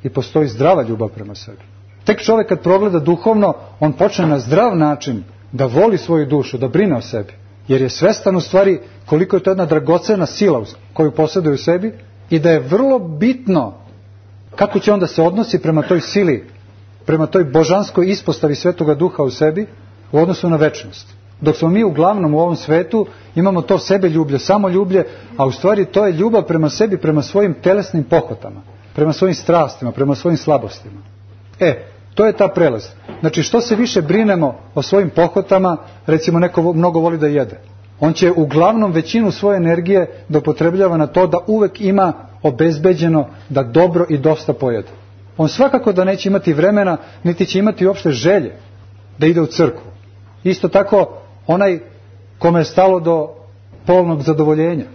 i postoji zdrava ljubav prema sebi. Tek čovjek kad progleda duhovno, on počne na zdrav način da voli svoju dušu, da brine o sebi. Jer je svestan u stvari koliko je to jedna dragocena sila koju posjeduje u sebi i da je vrlo bitno kako će onda se odnosi prema toj sili, prema toj božanskoj ispostavi Svetoga Duha u sebi u odnosu na večnost. Dok smo mi uglavnom u ovom svetu imamo to sebeljublje, samoljublje, a u stvari to je ljubav prema sebi, prema svojim telesnim pohotama, prema svojim strastima, prema svojim slabostima. To je ta prelest. Znači, što se više brinemo o svojim pohotama, recimo neko mnogo voli da jede. On će uglavnom većinu svoje energije da upotrebljava na to da uvek ima obezbeđeno da dobro i dosta pojede. On svakako da neće imati vremena, niti će imati uopšte želje da ide u crkvu. Isto tako, onaj kome je stalo do polnog zadovoljenja,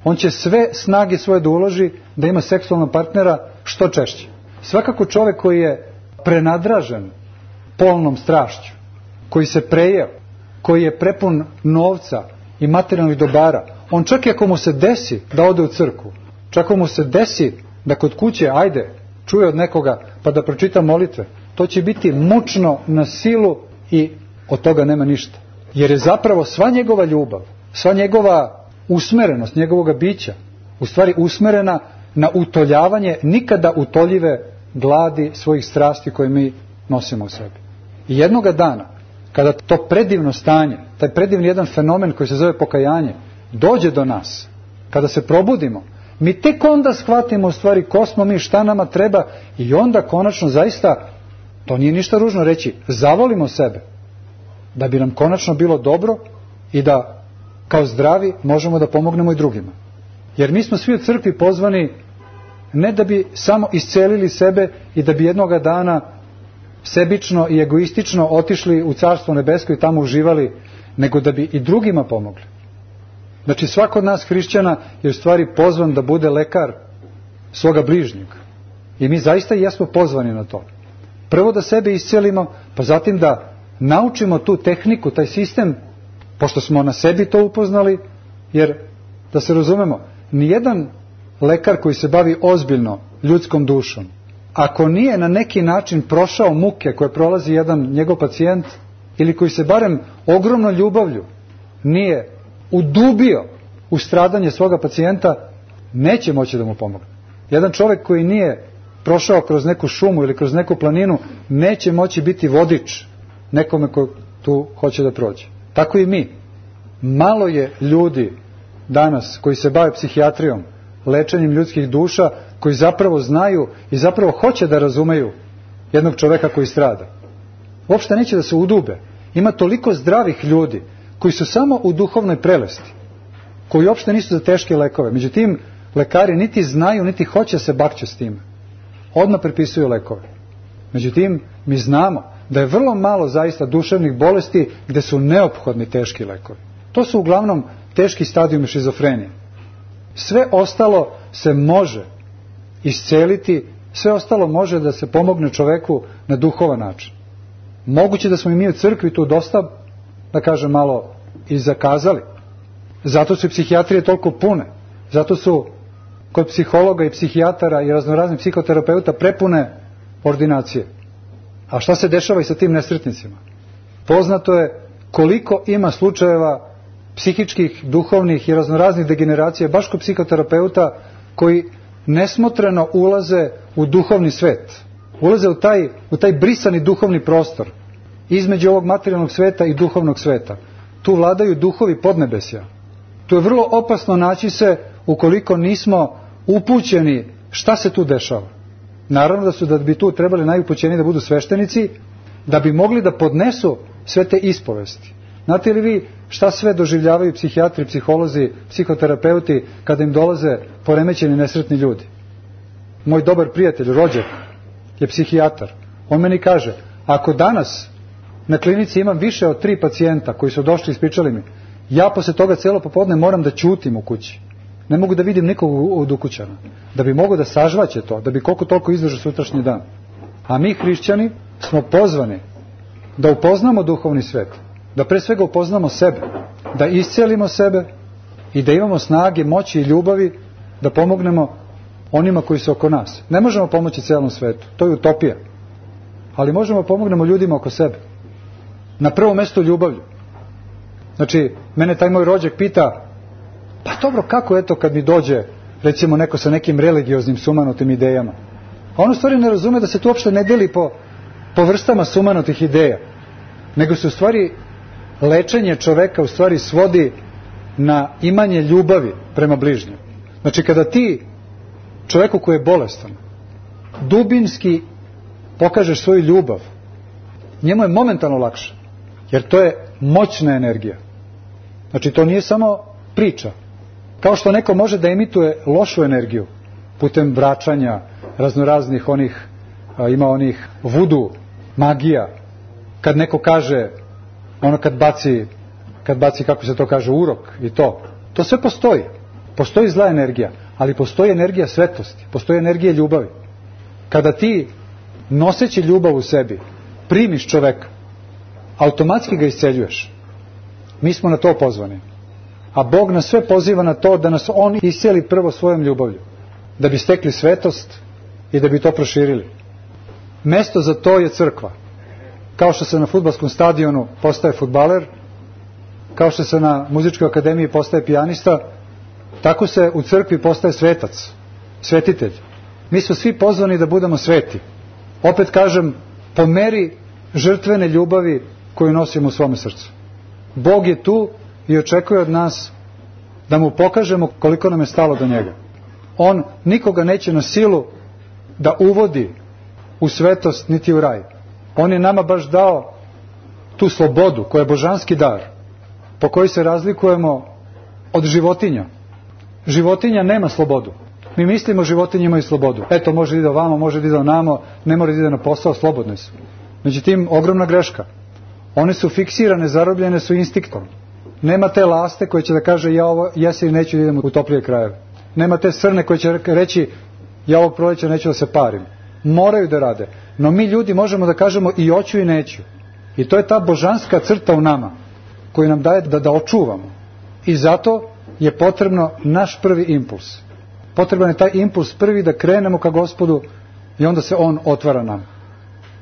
on će sve snage svoje da uloži da ima seksualnog partnera što češće. Svakako čovjek koji je prenadražen polnom strašću, koji se prejeo, koji je prepun novca i materijalnih dobara, on čak i ako mu se desi da ode u crkvu, čak ako mu se desi da kod kuće, čuje od nekoga pa da pročita molitve, to će biti mučno na silu i od toga nema ništa. Jer je zapravo sva njegova ljubav, sva njegova usmerenost, njegovoga bića, u stvari usmerena na utoljavanje nikada utoljive gladi svojih strasti koje mi nosimo u sebi. I jednoga dana, kada to predivno stanje, taj predivni jedan fenomen koji se zove pokajanje, dođe do nas, kada se probudimo, mi tek onda shvatimo u stvari ko smo mi, šta nama treba i onda konačno zaista, to nije ništa ružno reći, zavolimo sebe, da bi nam konačno bilo dobro i da kao zdravi možemo da pomognemo i drugima. Jer mi smo svi u crkvi pozvani ne da bi samo iscelili sebe i da bi jednoga dana sebično i egoistično otišli u Carstvo nebesko i tamo uživali, nego da bi i drugima pomogli. Znači svako od nas hrišćana je u stvari pozvan da bude lekar svoga bližnjega. I mi zaista jesmo pozvani na to. Prvo da sebe iscelimo, pa zatim da naučimo tu tehniku, taj sistem, pošto smo na sebi to upoznali, jer da se razumemo, nijedan lekar koji se bavi ozbiljno ljudskom dušom, ako nije na neki način prošao muke koje prolazi jedan njegov pacijent, ili koji se barem ogromnom ljubavlju nije udubio u stradanje svoga pacijenta, neće moći da mu pomogne. Jedan čovjek koji nije prošao kroz neku šumu ili kroz neku planinu, neće moći biti vodič nekome ko tu hoće da prođe. Tako i mi. Malo je ljudi danas koji se bave psihijatrijom, lečenjem ljudskih duša, koji zapravo znaju i zapravo hoće da razumeju jednog čoveka koji strada. Uopšte neće da se udube. Ima toliko zdravih ljudi koji su samo u duhovnoj prelesti, koji uopšte nisu za teške lekove. Međutim, lekari niti znaju, niti hoće se bakće s time. Odmah prepisuju lekove. Međutim, mi znamo da je vrlo malo zaista duševnih bolesti gde su neophodni teški lekovi. To su uglavnom teški stadijumi šizofrenije. Sve ostalo se može isceliti, sve ostalo može da se pomogne čoveku na duhovan način. Moguće da smo i mi u crkvi tu dosta, da kažem, malo i zakazali. Zato su i psihijatrije toliko pune. Zato su kod psihologa i psihijatara i raznoraznih psihoterapeuta prepune ordinacije. A šta se dešava i sa tim nesretnicima? Poznato je koliko ima slučajeva psihičkih, duhovnih i raznoraznih degeneracija baš kod psihoterapeuta koji nesmotreno ulaze u duhovni svet. Ulaze u taj brisani duhovni prostor između ovog materijalnog sveta i duhovnog sveta. Tu vladaju duhovi podnebesja. Tu je vrlo opasno naći se ukoliko nismo upućeni šta se tu dešava. Naravno da bi tu trebali najupućeniji da budu sveštenici, da bi mogli da podnesu sve te ispovesti. Znate li vi šta sve doživljavaju psihijatri, psiholozi, psihoterapeuti kada im dolaze poremećeni nesretni ljudi? Moj dobar prijatelj, rođak, je psihijatar. On meni kaže, ako danas na klinici imam više od 3 pacijenta koji su došli i ispričali mi, Ja posle toga cijelo popodne moram da ćutim u kući. Ne mogu da vidim nikog od ukućana. Da bi mogao da sažvaće to, da bi koliko toliko izdržao sutrašnji dan. A mi hrišćani smo pozvani da upoznamo duhovni svet, da pre svega upoznamo sebe, da iscelimo sebe i da imamo snage, moći i ljubavi da pomognemo onima koji su oko nas. Ne možemo pomoći celom svetu, to je utopija. Ali možemo pomognemo ljudima oko sebe. Na prvom mestu ljubavlju. Znači, mene taj moj rođak pita, pa dobro, kako eto kad mi dođe, recimo neko sa nekim religioznim sumanutim idejama. A on u stvari ne razume da se to uopšte ne deli po vrstama sumanutih ideja, nego se u stvari lečenje čoveka u stvari svodi na imanje ljubavi prema bližnjem. Znači, kada ti čoveku koji je bolestan dubinski pokažeš svoju ljubav, njemu je momentalno lakše, jer to je moćna energija. Znači, to nije samo priča. Kao što neko može da emituje lošu energiju putem vraćanja, raznoraznih ima onih vudu, magija, kad neko kaže, ono kad baci, kako se to kaže, urok i to sve postoji. Postoji zla energija, ali postoji energija svetosti, postoji energija ljubavi. Kada ti, noseći ljubav u sebi, primiš čoveka, automatski ga isceljuješ. Mi smo na to pozvani. A Bog nas sve poziva na to da nas On isceli prvo svojom ljubavlju, da bi stekli svetost i da bi to proširili. Mesto za to je crkva. Kao što se na fudbalskom stadionu postaje fudbaler, kao što se na muzičkoj akademiji postaje pijanista, tako se u crkvi postaje svetac, svetitelj. Mi smo svi pozvani da budemo sveti. Opet kažem, po meri žrtvene ljubavi koju nosimo u svome srcu. Bog je tu i očekuje od nas da mu pokažemo koliko nam je stalo do njega. On nikoga neće na silu da uvodi u svetost niti u raj. On je nama baš dao tu slobodu koja je božanski dar, po kojoj se razlikujemo od životinja. Životinja nema slobodu. Mi mislimo životinje imaju slobodu. Eto, može da ide ovamo, može da ide onamo, ne mora da ide na posao, slobodne su. Međutim, ogromna greška. One su fiksirane, zarobljene su instinktom. Nema te laste koje će da kaže ja ovo jesi ili neću da idem u toplije krajeve. Nema te srne koje će reći ja ovog proleća neću da se parim. Moraju da rade. No mi ljudi možemo da kažemo i hoću i neću. I to je ta božanska crta u nama koju nam daje da očuvamo. I zato je potrebno naš prvi impuls. Potreban je taj impuls prvi da krenemo ka Gospodu i onda se On otvara nam.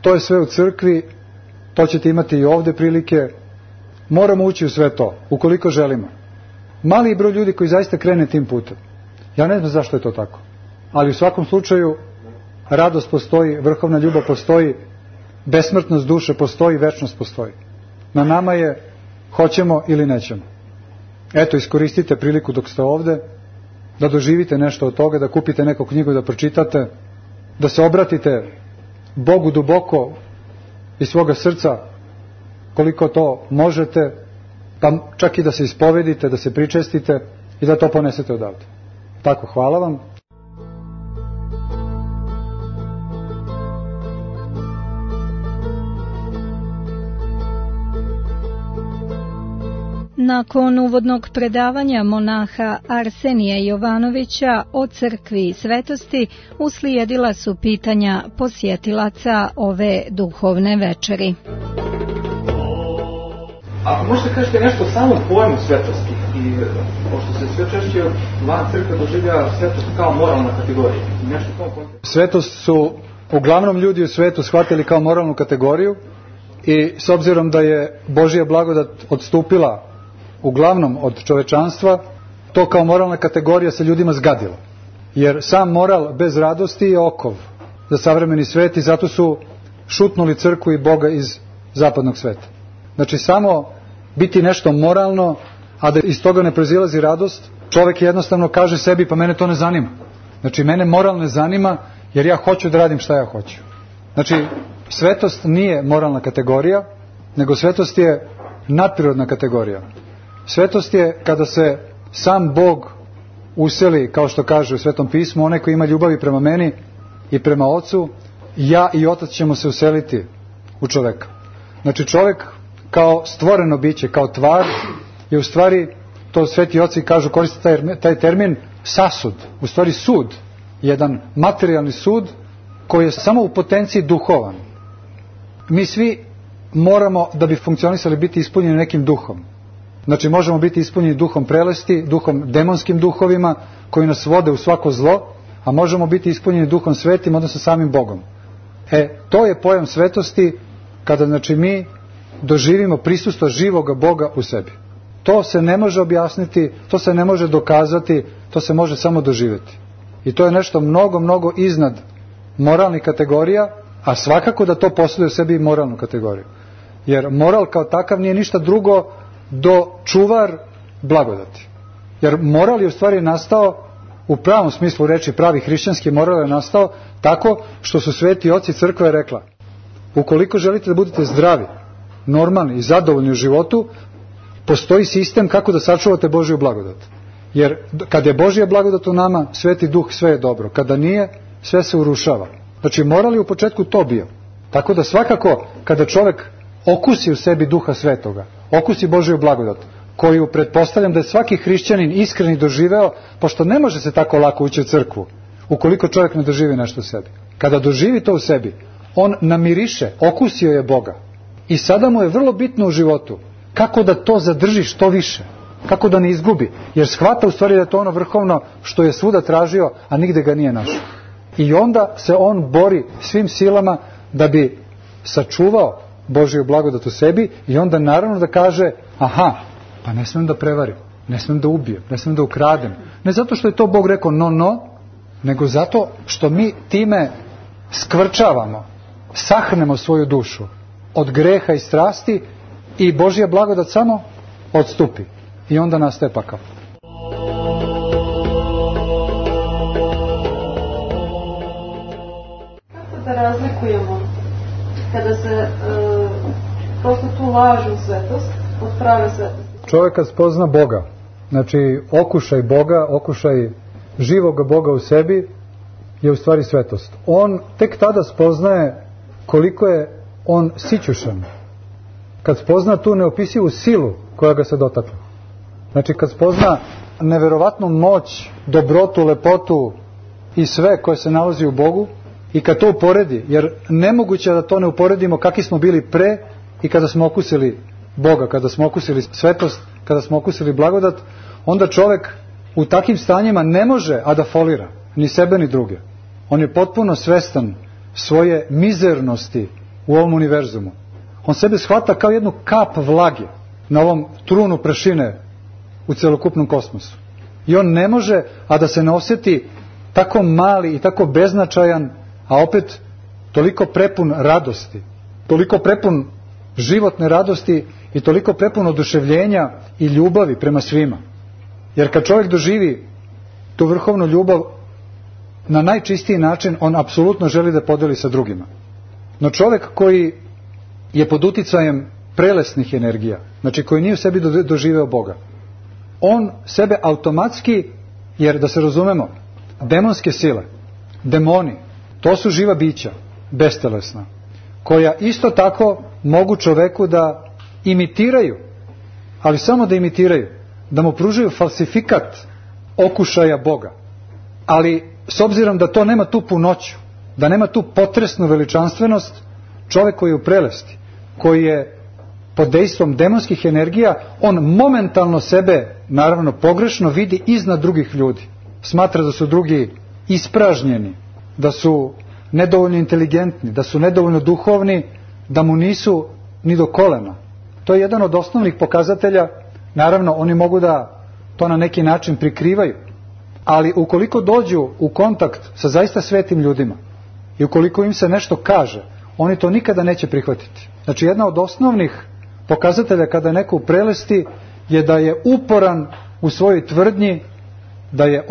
To je sve u crkvi, to ćete imati i ovde prilike. Moramo ući u sve to, ukoliko želimo. Mali broj ljudi koji zaista krene tim putem. Ja ne znam zašto je to tako. Ali u svakom slučaju radost postoji, vrhovna ljubav postoji, besmrtnost duše postoji, večnost postoji. Na nama je hoćemo ili nećemo. Eto, iskoristite priliku dok ste ovde, da doživite nešto od toga, da kupite neku knjigu da pročitate, da se obratite Bogu duboko iz svoga srca, koliko to možete, pa čak i da se ispovedite, da se pričestite i da to ponesete odavde. Tako, hvala vam. Nakon uvodnog predavanja monaha Arsenija Jovanovića o crkvi i svetosti uslijedila su pitanja posjetilaca ove duhovne večeri. Ako možete kažete nešto o samom pojmu svetosti, i pošto se sve češće van crkve doživlja svetost kao moralna kategorija. Nešto u tom kontekstu. Svetost su uglavnom ljudi u svetu shvatili kao moralnu kategoriju i s obzirom da je Božja blagodat odstupila uglavnom od čovečanstva, to kao moralna kategorija se ljudima zgadilo. Jer sam moral bez radosti je okov za savremeni svet i zato su šutnuli crkvu i Boga iz zapadnog sveta. Znači samo biti nešto moralno, a da iz toga ne proizilazi radost, čovjek jednostavno kaže sebi pa mene to ne zanima. Znači mene moral ne zanima jer ja hoću da radim šta ja hoću. Znači svetost nije moralna kategorija, nego svetost je nadprirodna kategorija. Svetost je kada se sam Bog useli, kao što kaže u Svetom pismu, onaj koji ima ljubavi prema meni i prema Ocu, ja i Otac ćemo se useliti u čoveka. Znači čovjek kao stvoreno biće, kao tvar, je u stvari, to sveti oci kažu, koriste taj termin sasud, u stvari sud, jedan materijalni sud koji je samo u potenciji duhovan. Mi svi moramo, da bi funkcionisali, biti ispunjeni nekim duhom. Znači možemo biti ispunjeni duhom prelesti, duhom demonskim duhovima koji nas vode u svako zlo, a možemo biti ispunjeni duhom svetim, odnosno samim Bogom. To je pojam svetosti, kada znači mi doživimo prisustvo živoga Boga u sebi. To se ne može objasniti, to se ne može dokazati, to se može samo doživjeti. I to je nešto mnogo, mnogo iznad moralnih kategorija, a svakako da to posjeduje u sebi i moralnu kategoriju. Jer moral kao takav nije ništa drugo do čuvar blagodati. Jer moral je u stvari nastao, u pravom smislu reči, pravi hrišćanski moral je nastao tako što su sveti oci crkve rekla: ukoliko želite da budete zdravi, normalni i zadovoljni u životu, postoji sistem kako da sačuvate Božju blagodat. Jer kad je Božja blagodat u nama, Sveti Duh, sve je dobro. Kada nije, sve se urušava. Znači moral je u početku to bio. Tako da svakako kada čovjek okusi u sebi Duha Svetoga, okusi Božju blagodat, koju pretpostavljam da je svaki hrišćanin iskreni doživeo, pošto ne može se tako lako ući u crkvu ukoliko čovjek ne doživi nešto u sebi. Kada doživi to u sebi, on namiriše, okusio je Boga. I sada mu je vrlo bitno u životu kako da to zadrži što više, kako da ne izgubi, jer shvata u stvari da je to ono vrhovno što je svuda tražio, a nigde ga nije našao. I onda se on bori svim silama da bi sačuvao Božju blagodat u sebi, i onda naravno da kaže: aha, pa ne smijem da prevarim, ne smijem da ubijem, ne smijem da ukradem. Ne zato što je to Bog rekao no, nego zato što mi time skvrčavamo, sahrnemo svoju dušu od greha i strasti, i Božja blagodat samo odstupi. I onda nastaje pakao. Kako da razlikujemo kada se prosto tu lažu svetost od prave svetosti? Čovjek kad spozna Boga, znači okušaj Boga, okušaj živoga Boga u sebi, je u stvari svetost. On tek tada spoznaje koliko je on sićušan. Kad spozna tu neopisivu silu koja ga se dotakla. Znači kad spozna neverovatnu moć, dobrotu, lepotu i sve koje se nalazi u Bogu, i kad to uporedi, jer nemoguće da to ne uporedimo kakvi smo bili pre i kada smo okusili Boga, kada smo okusili svetost, kada smo okusili blagodat, onda čovjek u takvim stanjima ne može a da folira ni sebe ni druge. On je potpuno svestan svoje mizernosti u ovom univerzumu. On sebe shvata kao jednu kap vlage na ovom trunu prašine u celokupnom kosmosu. I on ne može a da se ne osjeti tako mali i tako beznačajan, a opet toliko prepun radosti, toliko prepun životne radosti i toliko prepun oduševljenja i ljubavi prema svima. Jer kad čovjek doživi tu vrhovnu ljubav na najčistiji način, on apsolutno želi da podeli sa drugima. No čovjek koji je pod uticajem prelesnih energija, znači koji nije u sebi doživeo Boga, on sebe automatski, jer da se razumemo, demonske sile, demoni, to su živa bića, bestelesna, koja isto tako mogu čoveku da imitiraju, ali samo da imitiraju, da mu pružaju falsifikat okušaja Boga. Ali s obzirom da to nema tu punoću, da nema tu potresnu veličanstvenost, čovjek koji je u prelesti, koji je pod dejstvom demonskih energija, on momentalno sebe, naravno pogrešno, vidi iznad drugih ljudi. Smatra da su drugi ispražnjeni, da su nedovoljno inteligentni, da su nedovoljno duhovni, da mu nisu ni do kolena. To je jedan od osnovnih pokazatelja. Naravno, oni mogu da to na neki način prikrivaju, ali ukoliko dođu u kontakt sa zaista svetim ljudima i ukoliko im se nešto kaže, oni to nikada neće prihvatiti. Znači, jedna od osnovnih pokazatelja kada je neko u prelesti je da je uporan u svojoj tvrdnji da je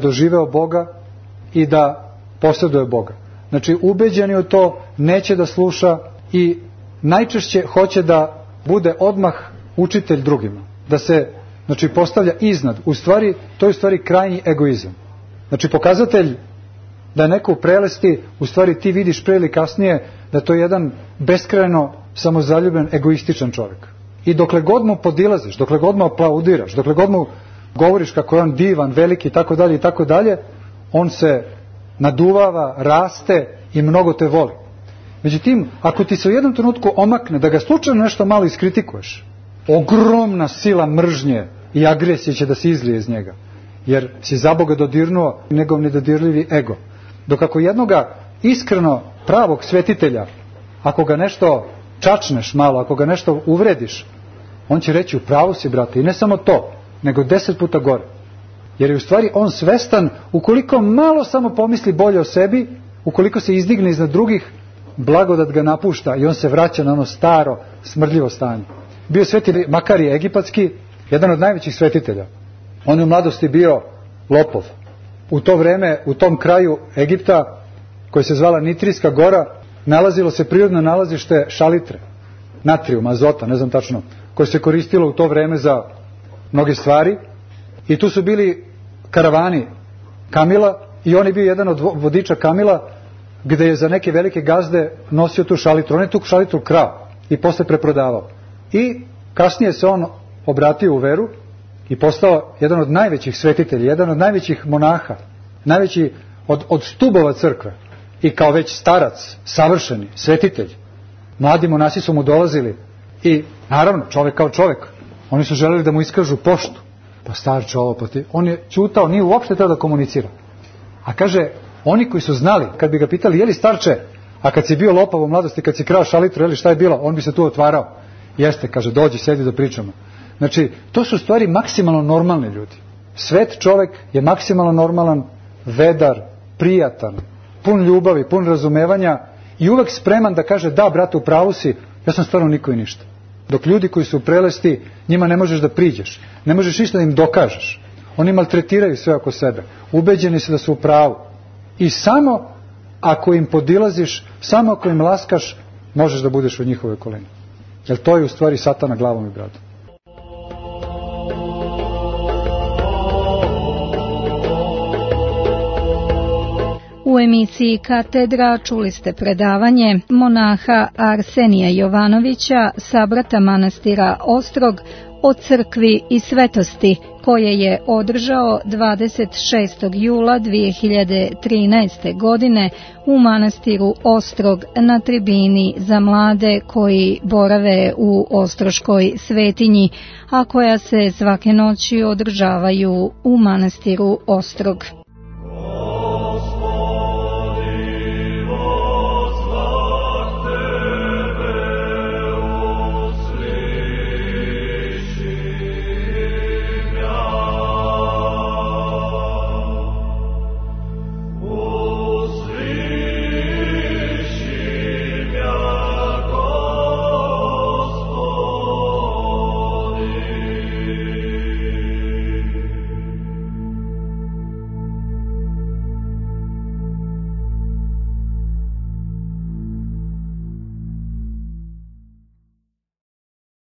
doživeo Boga i da posjeduje Boga. Znači, ubeđeni u to, neće da sluša i najčešće hoće da bude odmah učitelj drugima. Da se, znači, postavlja iznad. To je u stvari krajnji egoizam. Znači, pokazatelj da je neko u prelesti, u stvari ti vidiš pre ili kasnije da to je jedan beskrajno samozaljubljen, egoističan čovjek. I dokle god mu podilaziš, dokle god mu aplaudiraš, dokle god mu govoriš kako je on divan, veliki i tako dalje, on se naduvava, raste i mnogo te voli. Međutim, ako ti se u jednom trenutku omakne da ga slučajno nešto malo iskritikuješ, ogromna sila mržnje i agresije će da se izlije iz njega, jer si za Boga dodirnuo njegov nedodirljivi ego. Dok ako jednoga iskreno pravog svetitelja, ako ga nešto čačneš malo, ako ga nešto uvrediš, on će reći u pravu si, brate, i ne samo to, nego 10 puta gore. Jer je u stvari on svestan, ukoliko malo samo pomisli bolje o sebi, ukoliko se izdigne iznad drugih, blagodat ga napušta i on se vraća na ono staro, smrdljivo stanje. Bio sveti Makarije egipatski, jedan od najvećih svetitelja. On je u mladosti bio lopov. U to vreme, u tom kraju Egipta, koji se zvala Nitrijska gora, nalazilo se prirodno nalazište šalitre, natrijum, azota, ne znam tačno, koje se koristilo u to vreme za mnoge stvari. I tu su bili karavani kamila i on je bio jedan od vodiča kamila, gde je za neke velike gazde nosio tu šalitru. On je tu šalitru krao i posle preprodavao. I kasnije se on obratio u veru i postao jedan od najvećih svetitelja, jedan od najvećih monaha, najveći od stubova crkve. I kao već starac, savršeni, svetitelj, mladi monasi su mu dolazili i naravno čovek kao čovek, oni su želeli da mu iskažu poštu. Pa starče ovo, pa ti. On je ćutao, nije uopšte treba da komunicira. A kaže, oni koji su znali, kad bi ga pitali, je li starče, a kad si bio lopov u mladosti, kad si krao šalitru, je li šta je bilo, on bi se tu otvarao. Jeste, kaže, dođi, sedi da pričamo. Znači, to su stvari maksimalno normalni ljudi. Svet čovek je maksimalno normalan, vedar, prijatan, pun ljubavi, pun razumevanja i uvek spreman da kaže, da, brate, u pravu si, ja sam stvarno niko i ništa. Dok ljudi koji su prelesti, njima ne možeš da priđeš, ne možeš ništa da im dokažeš. Oni maltretiraju sve oko sebe, ubeđeni su da su u pravu. I samo ako im podilaziš, samo ako im laskaš, možeš da budeš u njihovoj okolini. Jer to je u stvari satana glavom i bradom. U emisiji Katedra čuli ste predavanje monaha Arsenija Jovanovića, sabrata manastira Ostrog, o crkvi i svetosti, koje je održao 26. jula 2013. godine u manastiru Ostrog na tribini za mlade koji borave u Ostroškoj svetinji, a koja se svake noći održavaju u manastiru Ostrog.